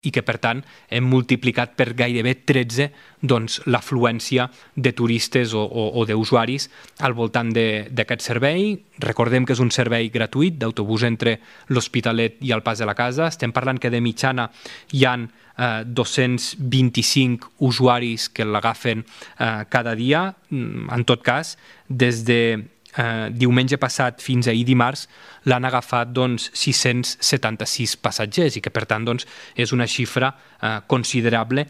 i que, per tant, hem multiplicat per gairebé 13 l'afluència de turistes o d'usuaris al voltant d'aquest servei. Recordem que és un servei gratuït d'autobús entre l'Hospitalet i el Pas de la Casa. Estem parlant que de mitjana hi ha 225 usuaris que l'agafen cada dia. En tot cas, des de diumenge passat fins ahir dimarts l'han agafat 676 passatgers i que per tant és una xifra considerable